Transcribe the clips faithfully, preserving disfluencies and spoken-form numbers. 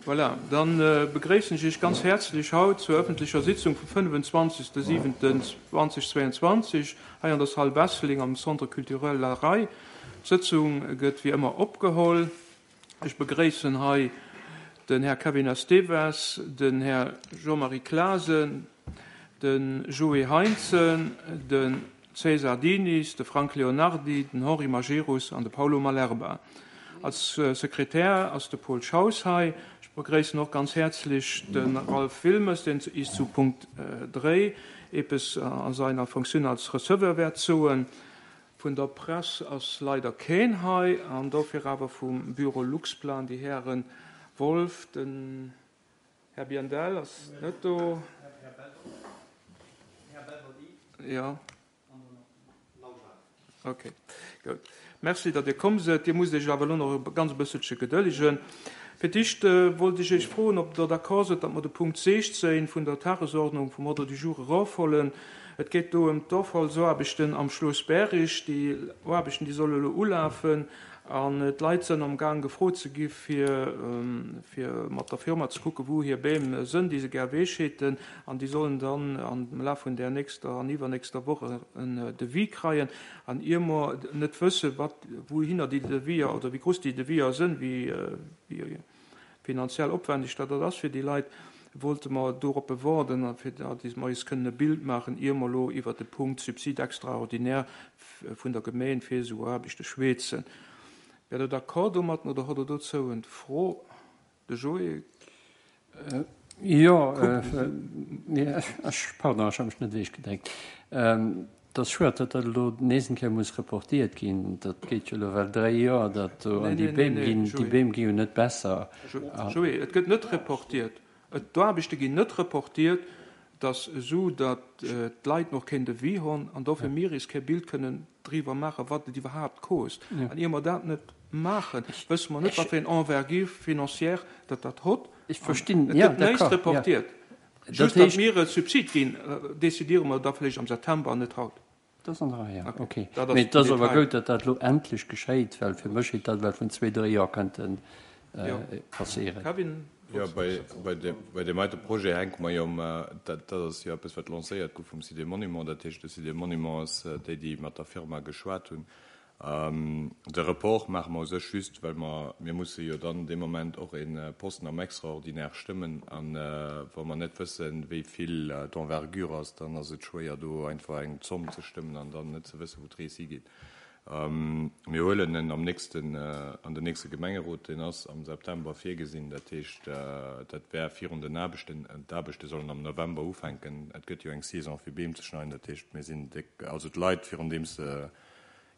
Voilà, dann begréissen ech Iech ganz häerzlech haut zur öffentlecher Sitzung vum fënnefenzwanzegste siwenten zweitausendzweiundzwanzeg hei an der Salle Wesseling am Centre culturel La Raye. D'Sëtzung gëtt wéi ëmmer opgeholl. Ech begréissen hei den Här Kevin Esteves, den Här Jean-Marie Clasen, de Joé Heintzen, de César Diniz, de Frank Leonardi, den Henri Majerus an de Paulo Malerba. Als Sekretär ass de Paul Schaus hei. Ech begréissen och ganz häerzlech de Ralph Wilmes, deen is zu Punkt dréi eppes a seiner Funktioun als Receveur wäert soen. Vun der Press ass leider keen hei, an dofir awer vum Büro Luxplan déi Häre Wolff, den Här Biandel ass net do. Jo. Ok, gutt. Merci, datt Dir komm sidd. Dir musst Iech awer elo nach e ganz bësselche gedëllegen. Fir d'éischt wollt ech Iech froen, ob Der d'accord sidd, datt mer de Punkt sichzéng vun der Tagesordnung vum Ordre du jour erofhuelen. Et geet do ëm d'Offallsaarbechten am Schloss Bärig. Déi Aarbechten, déi solle elo ulafen an d'Leit sënn am Gaang gefrot ze gi fir, fir mat der Firma ze kucken, wou hir Beem sënn, déi se gär ewechheeten. An déi sollen dann am Laf vun där nächster an iwwernächster Woch en Devis kreien. An ier mer net wëssen, wat, wouhinner déi Deviser oder wéi grouss déi Deviser sënn, wéi, wéi finanziell opwendeg dat ass fir déi Leit, wollte mer dorop bewarden, fir datt mer eis kënnen e Bild maachen, ier mer elo iwwer de Punkt Subside extraordinaire vun der Gemeen fir esou Aarbechte schwätzen. Wär Der d'accord domat oder hutt Der dozou eng Fro? De Joé? Jo, ech, pardon, ech hu mech net ewechgedréckt. Et ass schued, datt dat elo nees eng Kéier muss reportéiert ginn. Dat geet jo elo well dräi Joer, datt do an déi Beem ginn, déi Beem gi jo net besser. Joé, et gëtt net reportiert. D'Aarbechte ginn net reportiert, dass esou, datt d'Leit nach keen Devis hunn an dofir mir is kee Bild kënnen driwwer maachen, wat et iwwerhaapt kost. An ier mer dat net maachen, wësse mer net, wat fir eng Envergure financière dat dat hott. Ech verstinn, Et gëtt näischt reportiert. Just, datt mir e Subsid ginn, decidéiere mer da vläicht am September an net haut. Dat ass an der Rei, ja. Okay. Mee et ass awer goud, datt dat elo endlech geschéit, well fir mech hätt dat ewell vun zwee, dréi Joer kënnte passéieren. Kevin? Jo, bei deem heite Projet hänke mer jo um, dat ass jo eppes, wat lancéiert gouf vum Site des Monuments. Dat heescht, de Site des Monuments ass déi, déi mat der Firma geschwat hunn. De Report maache mer u sech just, well mer, mir musse jo dann dee Moment och e Posten am Extraordinaire stëmmen. A wa mer net wëssen, wéi vill d'Envergure ass, dann ass et schwéier, do einfach eng Zomm ze stëmmen an dann net ze wëssen, wou d'Rees higeet. Mir huelen en am nächsten, an den nächste Gemengerot, deen ass am September virgesinn. Dat heescht, dat wär virun den Aarbechten. D'Aarbechte sollen am November ufänken. Et gëtt jo eng Saison fir Beem ze schneiden. Dat heescht, mir sinn déck, also d'Leit, virun deem se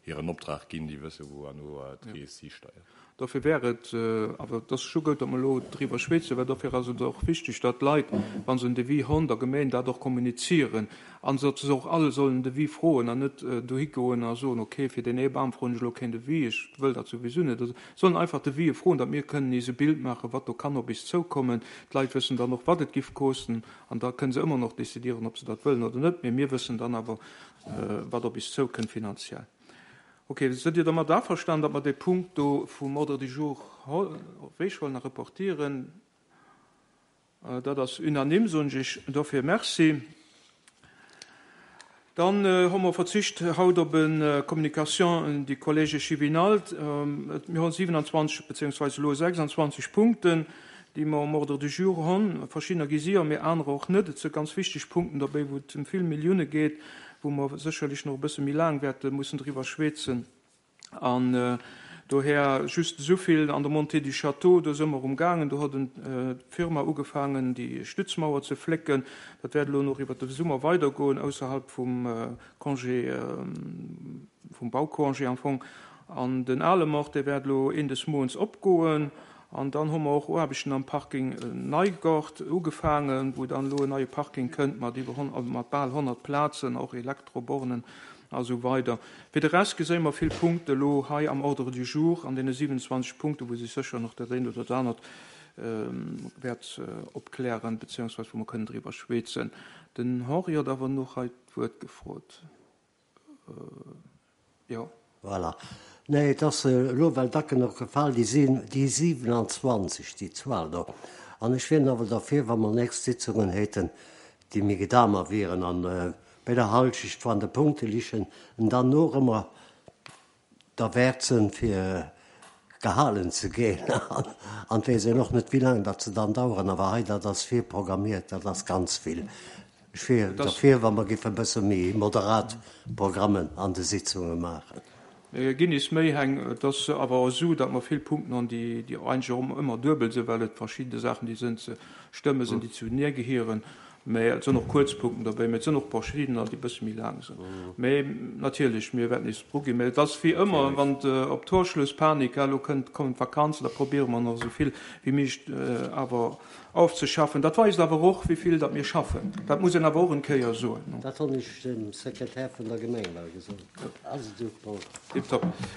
hiren Optrag ginn, déi wësse wou herno d'Rees histeiert. Dofir wär et, awer et ass scho gutt, datt mer elo driwwer schwätzen, well dofir ass et och wichteg, datt d'Leit, wa se en Devis hunn, der Gemeen dat och kommunizieren an datt se och all sollen en Devis froen an net dohi goen a soen, okay, fir deen ee Bam froen ech elo keen Devis, ech wëll dat souwisou net. Also sollen einfach Devisë froen, datt mir kënnen eis e Bild maachen, wat do kann op eis zoukommen. D'Leit wëssen dann och, wat et giff kosten an da kënne se ëmmer nach decidieren, ob se dat wëllen oder net. Mee mir wëssen dann awer, wat op eis zoukënnt finanziell. Ok, sidd Dir domat averstanen, datt mer dee Punkt do vum Ordre du jour ewechhuelen a reportieren? Dat ass unanime, soen ech Iech dofir Merci. Dann hu mer verzicht haut op eng Communication du Collège Échevinal. Mir hunn siewenundzwanzeg beziehungsweise elo sechsundzwanzeg Punkten, déi mer um Ordre du jour hunn. Verschiddener gi si, mee anerer och net. Et si ganz wichteg Punkten dobäi, wou et ëm vill Millioune geet, wou mer sécherlech nach e bësse méi laang wäerte mussen driwwer schwätzen. An dohier just esou vill an der Montée du Château, do si mer umgaangen, do huet d'Firma ugefaangen, déi Stützmauer ze flécken. Dat wäert elo nach iwwer de Summer weidergoen, ausserhalb vum Congé, vum Baucongé am Fong. An den ale Mort, dee wäert elo een des Moens opgoen. An dann hu mer och Aarbechten am Parking Neigort ugefaangen, wou dann elo en neie Parking kënnt mat iwwer mat bal honnert Plazen, och Elektrobornen a sou weider. Fir de Rest geséi mer vill Punkte elo hei am Ordre du jour, an deene siewenundzwanzeg Punkte, wou sech sécher nach dat eent oder dat anert wäert opklären, beziehungsweise wou mer kënnen driwwer schwätzen. Den Henri huet awer nach hei d'Wuert gefrot. Jo. Voilà. Nee, et ass elo well Dacken och gefall, déi sinn déi siwenanzwanzeg, déi Zuel do. An ech wier nawell derfir, wa mer nächst Sitzungen hätten, déi méi gedamer wieren an bei der Halschecht van de Punkte lichen en dann och ëmmer derwäert sinn, fir gehalen ze ginn. An et weess een och net, wéi laang datt se dann daueren. Awer hei, dat ass virprogrammiert, dat ass ganz vill. Ech wier derfir, wa mer géife e bësse méi moderat Programmen an de Sitzunge maachen. Mir ginn is méi heng. Et ass awer och esou, datt mer vill Punkten hunn, déi eigentlech och ëmmer duebel sinn, well et verschidde Saachen, déi sinn ze stëmme sinn, déi zuenee gehieren. Mä et sinn och kuerz Punkten derbäi, mä et sinn och verschiddener, déi e bësse méi laang sinn. Mä natierlech, mir wäerten is druginn. Mä et ass wéi ëmmer, wann op Torschlusspanik, elo kënnt, kommen d'Vakanzen, da probéiere mer nach esou vill wéi méiglech awer aufzeschaffen. Dat weist awer och, wéi vill datt mir schaffen. Dat muss een awer och en Kéier soen. Dat hunn ech dem Sekretär vun der Gemeng well gesot. Ass et esou, Paul? Tiptop.